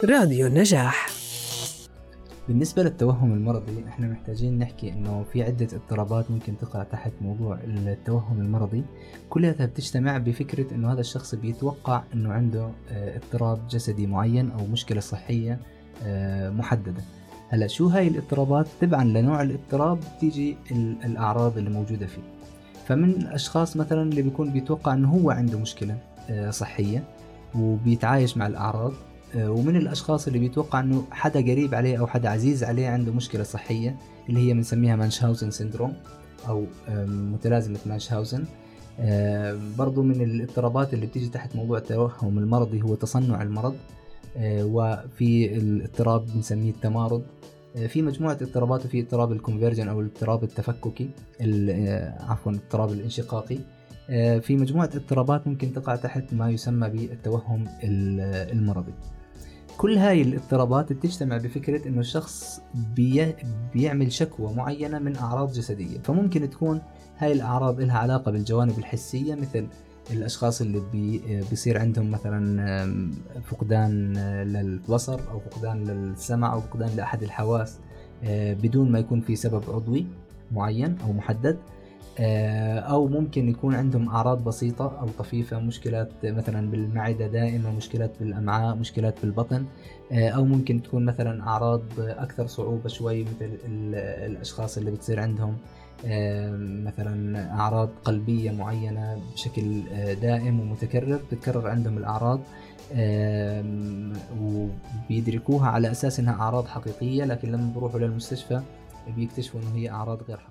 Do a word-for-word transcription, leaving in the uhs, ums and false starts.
راديو النجاح. بالنسبة للتوهم المرضي احنا محتاجين نحكي انه في عدة اضطرابات ممكن تقع تحت موضوع التوهم المرضي، كلها بتجتمع بفكرة انه هذا الشخص بيتوقع انه عنده اضطراب جسدي معين او مشكلة صحية محددة. هلا شو هاي الاضطرابات؟ تبعا لنوع الاضطراب تيجي الاعراض اللي موجودة فيه. فمن الاشخاص مثلا اللي بيكون بيتوقع انه هو عنده مشكلة صحية وبيتعايش مع الاعراض، ومن الأشخاص اللي بيتوقع أنه حدا قريب عليه أو حدا عزيز عليه عنده مشكلة صحية اللي هي بنسميها مانشهاوزن سيندروم أو متلازمة مانشهاوزن. برضو من الاضطرابات اللي بتيجي تحت موضوع التوهم المرضي هو تصنع المرض، وفي الاضطراب بنسميه التمارض. في مجموعة اضطرابات، وفي اضطراب الكونفيرجن أو الاضطراب التفككي، عفوا الاضطراب الانشقاقي. في مجموعة اضطرابات ممكن تقع تحت ما يسمى بالتوهم المرضي. كل هاي الاضطرابات بتجتمع بفكرة انه الشخص بي بيعمل شكوى معينة من اعراض جسدية، فممكن تكون هاي الاعراض لها علاقة بالجوانب الحسية، مثل الاشخاص اللي بي بيصير عندهم مثلا فقدان للبصر او فقدان للسمع او فقدان لاحد الحواس بدون ما يكون في سبب عضوي معين او محدد، أو ممكن يكون عندهم أعراض بسيطة أو طفيفة، مشكلات مثلا بالمعدة دائمة، مشكلات بالأمعاء، مشكلات بالبطن، أو ممكن تكون مثلا أعراض أكثر صعوبة شوي مثل الأشخاص اللي بتصير عندهم مثلا أعراض قلبية معينة بشكل دائم ومتكرر، تتكرر عندهم الأعراض وبيدركوها على أساس أنها أعراض حقيقية، لكن لما بيروحوا للمستشفى بيكتشفوا أنه هي أعراض غير حقيقية.